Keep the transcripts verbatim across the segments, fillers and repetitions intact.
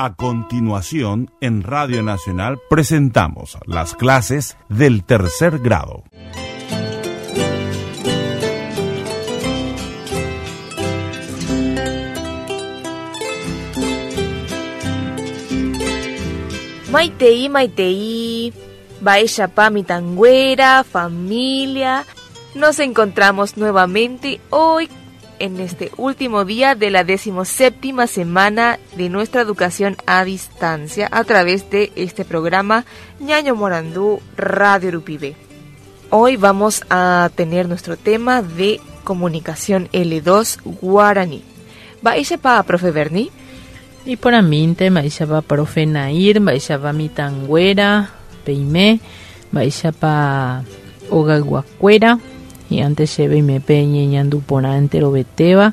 A continuación, en Radio Nacional presentamos las clases del tercer grado. Maitei, maitei, mba'éichapa mitãnguéra, familia. Nos encontramos nuevamente hoy en este último día de la decimoséptima semana de nuestra educación a distancia a través de este programa Ñaño Morandú Radio Rupibe. Hoy vamos a tener nuestro tema de comunicación L dos Guaraní. Mba'éichapa, profe Bernie? Y por aminte, mba'éichapa profe Nair, mba'éichapa mitãnguéra, peime, mba'éichapa ogayguakuéra. Y antes se ve me peñe ñandu porã enterovetéva.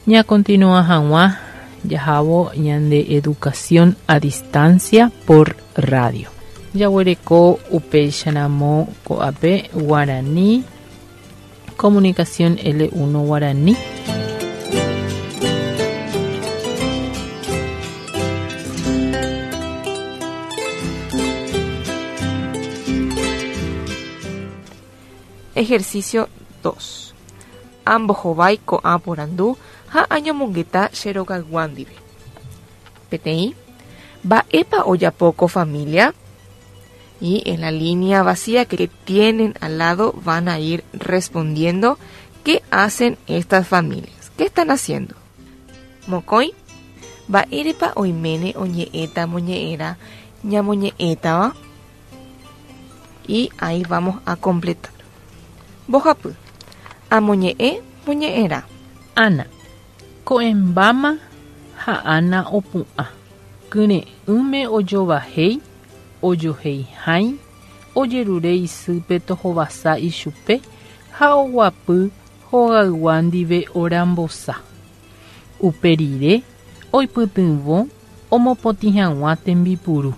Ña continúa hag̃ua jahavo ñande educación a distancia por radio. Jaguereko upéicharamo ko'ápe Guaraní, comunicación L uno Guaraní. Ejercicio dos. Ambohovái ko'ã porandu ha añomongeta che rogaygua ndive. Peteĩ, mba'épa ojapo ko familia? Y en la línea vacía que tienen al lado van a ir respondiendo qué hacen estas familias. ¿Qué están haciendo? Mokõi, mba'érepa oiméne oñe'ẽta moñe'ẽra ñamoñe'ẽtava? Y ahí vamos a completar. Mbohapy, amoñe'ẽ moñe'ẽrã. Ana, ko'ẽmbáma ha Ana opu'ã. Kyre'ỹme ojovahéi, ojoheihái, ojerure isýpe tohovasa ichupe ha oguapy hogaygua ndive orambosa. Upe rire oipytyvõ omopotĩ hag̃ua tembipuru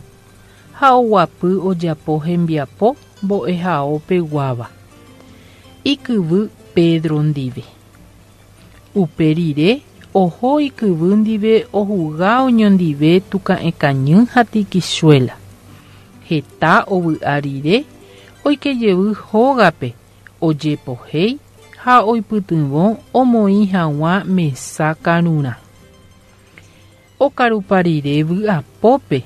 ha oguapy ojapo hembiapo mbo'ehaopeguáva. Ikyvy Pedro ndive. Upe rire oho ikyvy ndive ohuga oñondive tuka'ẽkañy ha tikichuéla. Heta ovy'a rire oikejevy hógape ojepohéi ha oipytyvõ omoĩ hag̃ua mesa karurã. Okarupa rire vy'apópe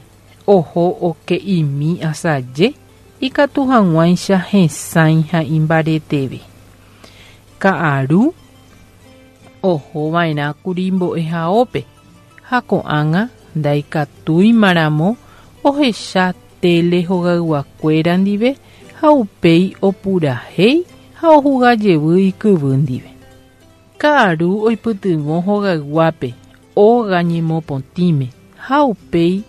oho oke'imi asaje ikatu hag̃uáicha hesãi ha imbareteve. Ka'aru ohova'erãkuri mbo'ehaópe ha ko'ág̃a ndaikatúimaramo ohecha tele hogayguakuéra ndive ha upéi opurahéi ha ohugajevy ikyvy ndive. Ka'aru oipytyvõ hogayguápe óga ñemopotĩme ha upéi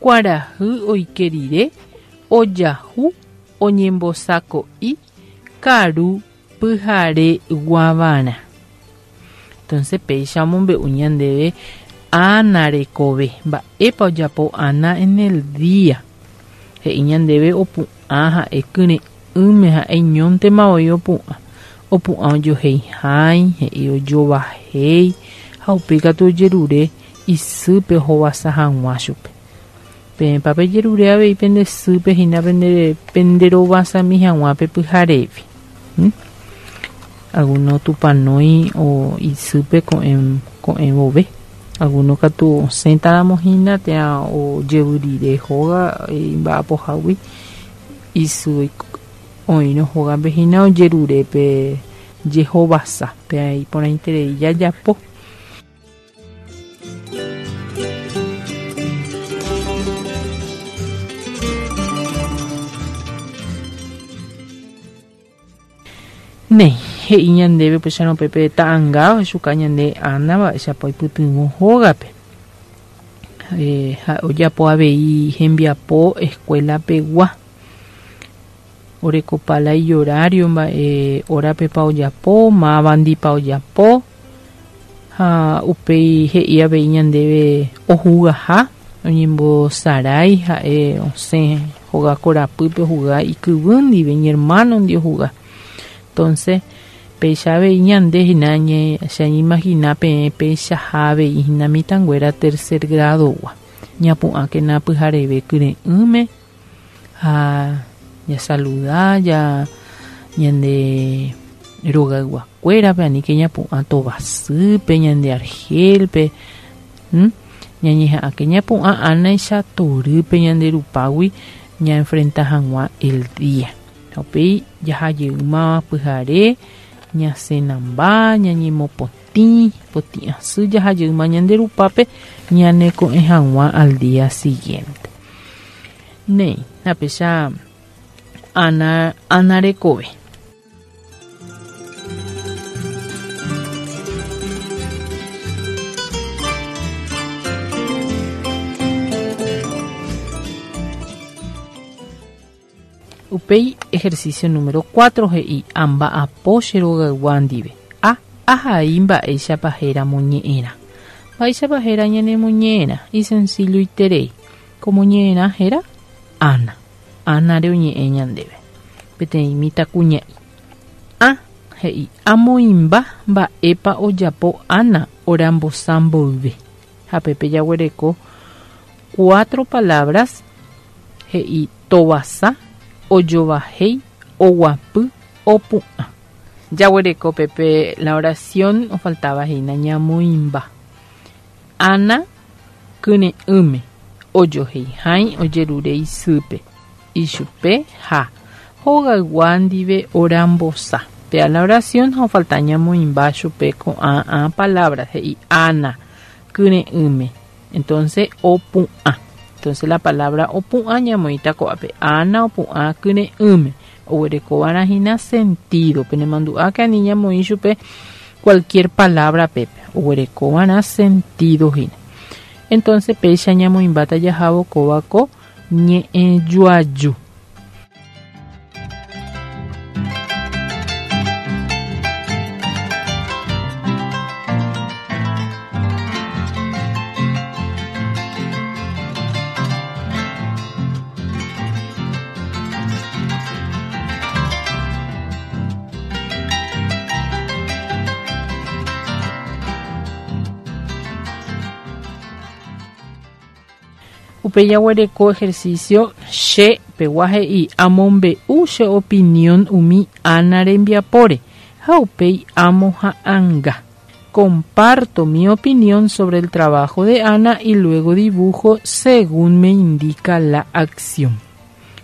kuarahy oike rire ojahu oñembosako'i karu pyhare guavarã. Entonces péicha omombe'u ñandéve Ana rekove. Mba'épa ojapo Ana en el día. He'i ñandéve opu'ã ha'e kyre'ỹme ha'e iñóntema voi opu'ã. Opu'ã ojoheihái, he'i ojovahéi ha upéi katu ojerure isýpe ohovasa hag̃ua chupe. Peẽpa pejerure avei pende sýpe hína pende penderovasami hag̃ua pe pyharévi. ¿Mm? Alguno tupanói o isýpe ko'ẽ ko'ẽvove. Alguno katu osẽtaramo hína térã ojevy rire hóga imba'apohágui isy oĩrõ hógape hína ojerure pe jehovasa pe iporãiterei jajapo. Néi, he'i ñandéve upéicharõ pépe ta'ãnga ohechuka ñande Ana mba'éichapa oipytyvõ hógape. Eh, ha ojapo avei hembiapo escuela pegua. Orekopala ihorario mba'e horapepa ojapo, mávandipa ojapo ha upéi he'i avei ñandéve ohugaha oñembosarái ha'e osẽ hóga korapýpe ohuga ikyvy ndive iñermano ndi ohuga. Entonces, péicha avei ñande hína che añeimagina peẽ péichaha avei hína mitãnguéra tercer grado-gua. Ñapu'ãkena pyhareve kyre'ỹme ha jasaluda ja ñande rogayguakuérape aníke ñapu'ã tovasýpe ñande argelpe ñañeha'ãke ñapu'ã ánaicha torýpe ñande rupágui ñaenfrenta hag̃ua el día. Upéi jahajeyma pyhare ñasenamba ñañemopotĩ potĩ asy jahajeyma ñande rupápe ñaneko'ẽ hag̃ua al día siguiente. Néi apecha Ana, Ana rekove. Upéi ejercicio número cuatro he'i amba'apo che rogaygua ndive. A. Ahai mba'éichapa héra moñe'ẽrã. Mba'éichapa héra ñanemoñe'ẽrã isencilloiterei. Ko moñe'ẽrã héra Ana. Ana re oñe'ẽ ñandéve. Peteĩ mitãkuña'i. A. He'i amoĩmba mba'épa ojapo Ana orambosa mboyve. Ha pépe jaguereko cuatro palabras he'i tovasa, ojovahéi, oguapy, opu'ã. Jaguereko pépe la oración ofaltaba hína ñamoĩmba. Ana kyre'ỹme ojoheihái ojerure isýpe. Ichupe ha hogaygua ndive orambosa. Pea la oración ha ofalta ñamoĩmba chupe ko'ã ã palabras he'i Ana kyre'ỹme. Entonces opu'ã. Entonces la palabra opu'ã ñamoĩta ko'ápe. Ana opu'ã kyre'ỹme. Oguerekova'erã hína sentido. Penemandu'áke ani ñamoĩ chupe cualquier palabra pépe. Oguerekova'erã sentido hína. Entonces péicha ñamoĩmbáta jahávo kóva ko ñe'ẽjoaju. Upéi jaguereko ejercicio che pegua he'i amombe'u che opinión umi Ana rembiapóre ha upéi amoha'ãnga. Comparto mi opinión sobre el trabajo de Ana y luego dibujo según me indica la acción.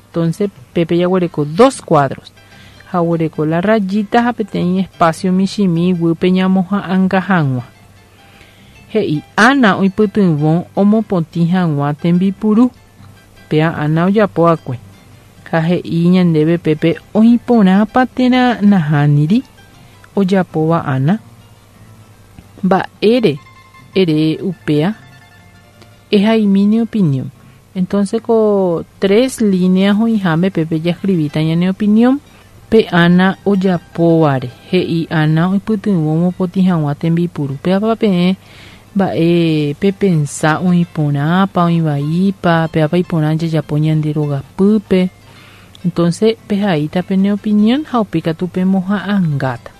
Entonces, pépe jaguereko dos cuadros. Jaguereko la rayita ha peteĩ espacio michĩmi guýpe ñamoha'ãnga hag̃ua. He'i Ana oipytyvõ omopotĩ hag̃ua tembipuru. Péa Ana ojapo'akue. Ha he'i ñandéve pépe oĩporãpa térã nahániri ojapóva Ana. Mba'ére ere upéa ehaimi ne opinión. Entonces ko tres líneas oĩháme pépe jaescribíta ñane opinión. Pe Ana ojapóvare. He'i Ana oipytyvõ omopotĩ hag̃ua tembipuru. Péapa peẽ mba'e pepensa oĩporãpa oĩvaípa péapa iporã jajapo ñande rogapýpe. Entonces pehaíta pene opinión ha upéikatu pemoha'ãngáta.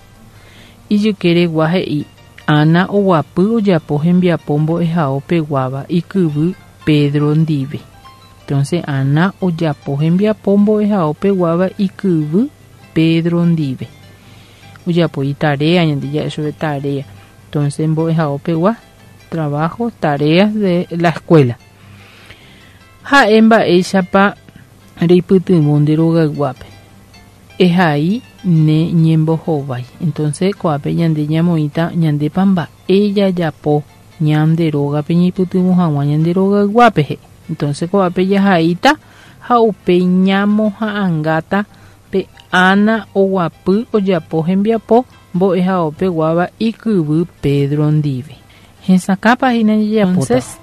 Ijykeregua he'i Ana oguapy ojapo hembiapo mbo'ehao peguáva ikyvy Pedro ndive. Entonces Ana ojapo hembiapo mbo'ehao peguáva ikyvy Pedro ndive. Ojapo itarea ñande ja'e chupe tarea. Entonces mbo'ehao pegua trabajo, tareas de la escuela. Ha'e mba'éichapa reipytyvõ nde rogayguápe. Ehai ne ñembohovái. Entonces ko'ápe ñande ñamoĩta ñandépa mba'e jajapo ñande rógape ñaipytyvõ hag̃ua ñande rogayguápe he'i. Entonces ko'ápe jahaíta ha upéi ñamoha'ãngáta pe Ana oguapy ojapo hembiapo mbo'ehao peguáva ikyvy Pedro ndive. Hesakãpa hína jajapóta. Entonces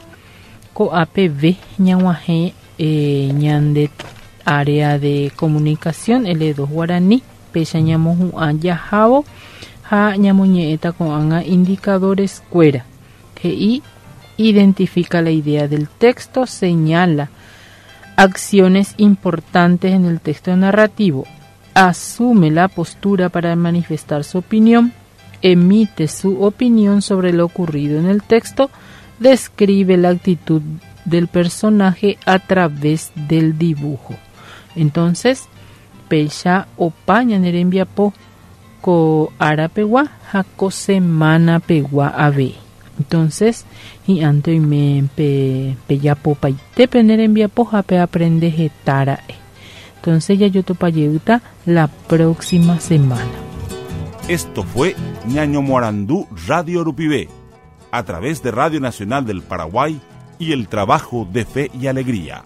ko'ápe ve ñag̃uahẽ eh, ñande área de comunicación L dos guaraní péicha ñamohu'ã jahávo ha ñamoñe'ẽta ko'ág̃a indicadores kuéra. He'i identifica la idea del texto, señala acciones importantes en el texto narrativo, asume la postura para manifestar su opinión, emite su opinión sobre lo ocurrido en el texto, describe la actitud del personaje a través del dibujo. Entonces, péicha opa ñane rembiapo ko árapegua ha ko semanapegua ave. Entonces, hi'ãnte oime pe pejapopaite pene rembiapo ha pe aprende hetára'e. Entonces jajotopajeýta la próxima semana. Esto fue Ñañomoarandú Radio Rupive, a través de Radio Nacional del Paraguay y el trabajo de Fe y Alegría.